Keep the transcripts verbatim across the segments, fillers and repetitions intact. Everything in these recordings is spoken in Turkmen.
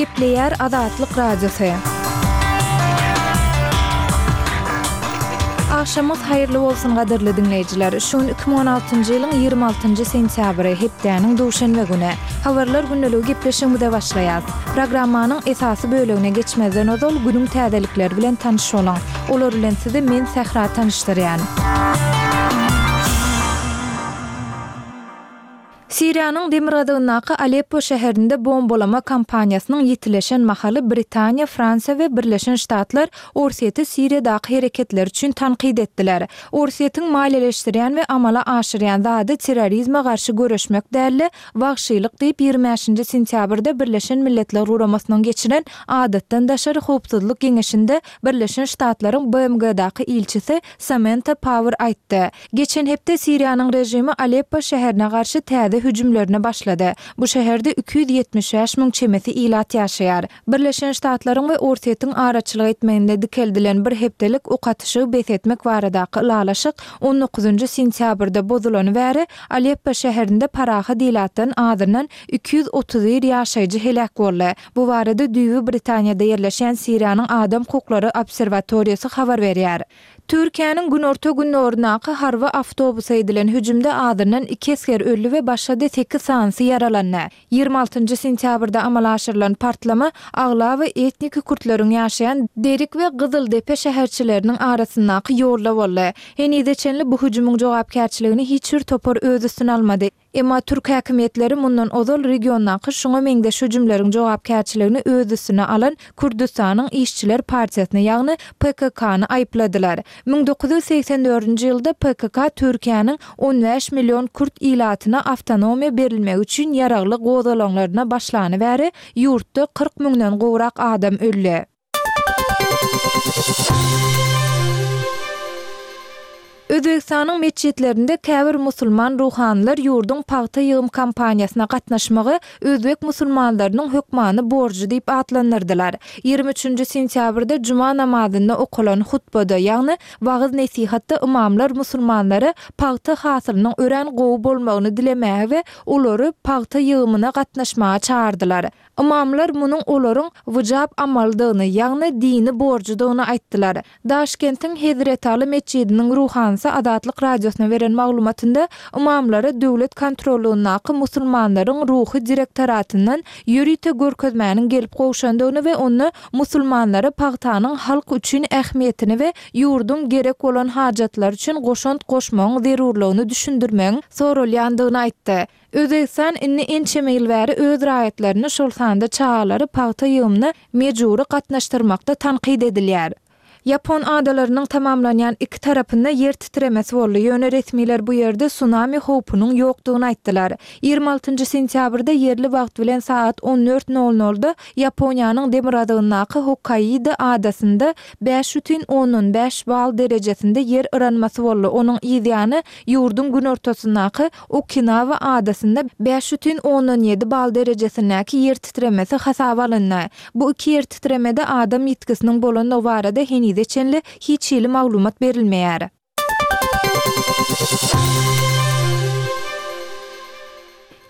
Gepleýär Azatlyk Radiosy. Agşamyňyz haýyrly bolsun gadyrly diňleýjiler. Şu gün iki müň on altynjy ýylyň ýigrimi altynjy sentýabry, hepdäniň duşenbe güni. Habarlar gündeligi gepleşigimize başlaýas. Programmanyň esasy bölegine geçmezden ozal günüň täzelikleri bilen tanyş boluň. Olar bilen sizi men Sähra tanyşdyrýan. Siriýanyň demirgazygyndaky Aleppo şäherinde bombalama kampaniýasynyň ýitileşen mahaly Britaniýa, Fransiýa we Birleşen Ştatlar Orsýeti Siriýadaky hereketleri üçin tankyt etdiler. Orsýetiň maliýeleşdirýän we amala aşyrýan zady terrorizme garşy göreşmek däl-de, wagşylyk diýip, ýigrimi bäşinji sentýabrda Birleşen Milletler Guramasynyň geçiren Adatdan daşary howpsuzlyk geňeşinde Birleşen Ştatlaryň B M G-daky ilçisi Samanta Power aýtdy. Geçen hepde Siriýanyň režimi Aleppo şäherine garşy täze hüjümlerine başlady. Bu şäherde iki ýüz ýetmiş bäş müň çemesi ilat ýaşaýar. Birleşen Ştatlaryň we Orsýetiň araçylyk etmeginde dikeldilen bir hepdelik ok atyşygy bes etmek baradaky ylalaşyk on dokuzynjy sentýabrda bozulany bäri Aleppo şäherinde parahat ilatdan azyndan iki ýüz otuz bir ýaşaýjy heläk boldy. Bu barada düýbi Britaniýada ýerleşýän Siriýanyň adam hukuklary obserwatoriýasy habar berýär. Türkiýäniň günorta-gündogaryndaky harby awtobusa edilen hüjümde azyndan iki esger öldi we başga-da sekiz sanysy ýaralandy. Ýigrimi altynjy sentýabrda amala aşyrylan partlama aglaba etniki kürtleriň ýaşaýan Derik we Gyzyldepe şäherçileriniň arasyndaky ýolda boldy. Henize çenli bu hüjümiň jogapkärçiligini hiç bir topar öz üstüne almady. Emma türk häkimiýetleri mundan ozal regiondaky şuňa meňzeş hüjümleriň jogapkärçiligini öz üstüne alan Kürdüstanyň işçiler partiýasyny, ýagny P K K-ny aýypladylar. Müň dokuz ýüz segsen dördünji ýylda P K K Türkiýäniň on bäş million kürt ilatyna awtonomiýa berilmegi üçin ýaragly gozgalaňlaryna başlany bäri ýurtda kyrk müňden gowrak adam öldi. Özbegistanyň metjitlerinde käbir musulman ruhanylar ýurduň pagta ýygym kampaniýasyna gatnaşmagy özbek musulmanlarynyň hökmany borjy diýip atlandyrdylar. Ýigrimi üçünji sentýabrda juma namazynda okalan hutbada, ýagny wagyz nesihatda ymamlar musulmanlara pagta hasylynyň örän gowy bolmagyny dilemäge we olary pagta ýygymyna gatnaşmaga çağırdylar. Ymamlar munuň olaryň wyjap amalydygyny, ýagny dini borjudygyny aýtdylar. Daşkentiň Hezretaly metjidiniň ruhanysy Azatlyk radiosyna beren maglumatynda ymamlara döwlet kontrollugyndaky musulmanlaryň ruhy direktoratyndan ýörite görkezmäniň gelip gowşandygyny we onda musulmanlara pagtanyň halk üçin ähmiýetini we ýurduň gerek bolan hajatlar üçin goşant goşmagyň zerurlygyny düşündirmegiň sorulýandygyny aýtdy. Özbegistan indi ençeme ýyl bäri öz raýatlaryny şol sanda çagalary pagta ýygymyna mejbury gatnaşdyrmakda tankyt edilýär. Ýapon adalarynyň tamamlanýan iki tarapynda ýer titremesi boldy. Ýöne resmiler bu ýerde tsunami howpunyň ýokdugyny aýtdylar. Ýigrimi altynjy sentýabrda ýerli wagt bilen saat on dört nol nolda Ýaponiýanyň demirgazygyndaky Hokkaido adasynda bäş bütin ondan bäş bal derejesinde ýer yranmasy boldy. Onuň yzýany ýurduň günortasyndaky Okinawa adasynda bäş bütin ondan ýedi bal derejesindäki ýer titremesi hasaba alyndy. Bu iki ýer titremede adam ýitgisiniň bolandygy barada henize çenli hiç hili maglumat berilmeýär.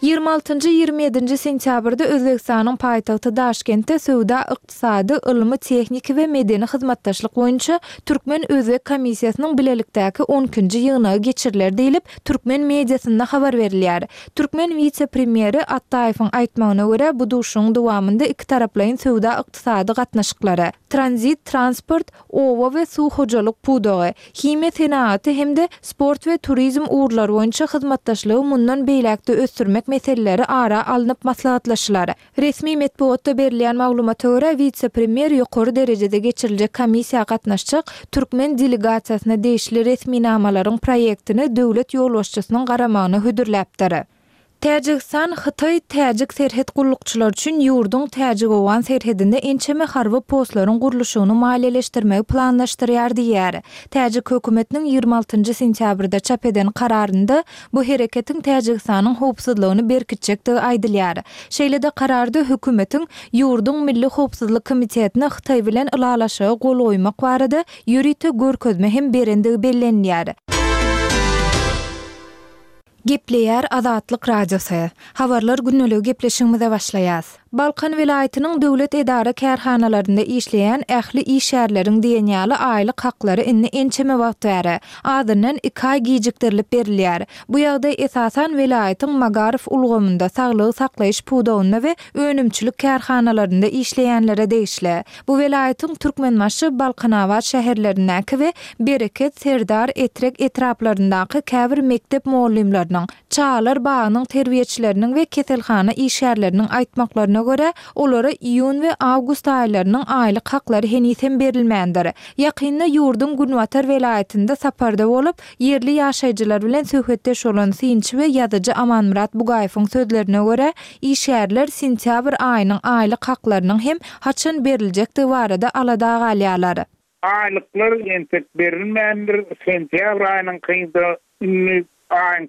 Ýigrimi altynjy, ýigrimi ýedinji sentýabrda Özbegistanyň paýtagty Daşkentde söwda, ykdysady, ylmy, tehniki we medeni hyzmatdaşlyk boýunça Türkmen-Özbek komissiýasynyň bilelikdäki on ikinji ýygnagy geçiriler diýlip, türkmen mediasynda habar berilýär. Türkmen wise-premýeri Attaýewiň aýtmagyna görä, bu duşuşygyň dowamynda iki taraplaýyn söwda ykdysady gatnaşyklary, tranzit, transport, oba we suw hojalyk pudagy, himiýa senagaty hem-de sport we turizm ugurlary boýunça hyzmatdaşlygy mundan beýläkde ösdürmek meseleleri ara alnyp maslahatlaşylar. Resmi metbugatda berilýän maglumata görä, wise-premýer ýokary derejede geçiriljek komissiýa gatnaşjak türkmen delegasiýasyna degişli resminamalaryň proýektini döwlet ýolbaşçysynyň garamagyna hödürläpdir. Täjigistan Hytaý täjik serhet gullukçylary üçin ýurduň Täjik-Owgan serhedinde ençeme harby postlaryň gurluşygyny maliýeleşdirmegi planlaşdyrýar diýýär. Täjik hökümetiniň ýigrimi altynjy sentýabrda çap eden kararynda bu hereketiň Täjigistanyň howpsuzlygyny berkitjekdigi aýdylýar. Şeýle-de kararda hökümetiň ýurduň Milli Howpsuzlyk Komitetine Hytaý bilen ylalaşyga gol goýmak barada ýörite görkezme hem berendigi bellenýär. Gepleýär Azatlyk Radiosy. Habarlar gündeligi gepleşigimize başlaýas. Balkan welaýatynyň döwlet edara-kärhanalarynda işleýän ähli işgärleriň diýen ýaly aýlyk haklary indi ençeme wagt bäri, azyndan iki aý gijikdirilip berilýär. Bu ýagdaý esasan welaýatyň magaryf ulgamynda, saglygy saklaýyş pudagynda we önümçilik kärhanalarynda işleýänlere degişli. Bu welaýatyň Türkmenbaşy, Balkanabat şäherlerindäki we Bereket, Serdar, Etrek etraplaryndaky käbir mekdep mugallymlarynyň, çagalar bagynyň terbiýeçileriniň we keselhana işgärleriniň aýtmaklaryna görä, olara iýun we awgust aýlarynyň aýlyk haklary heniz hem berilmändir. Ýakynda ýurduň günbatar welaýatynda saparda bolup, ýerli ýaşaýjylar bilen söhbetdeş bolan synçy we ýazyjy Amanmyrat Bugaýewiň sözlerine görä, işgärler sentýabr aýynyň aýlyk haklarynyň hem haçan beriljekdigi barada alada galýarlar. Aýlyklar entek berilmändir, sentýabr aýynyňkyda indi aýyň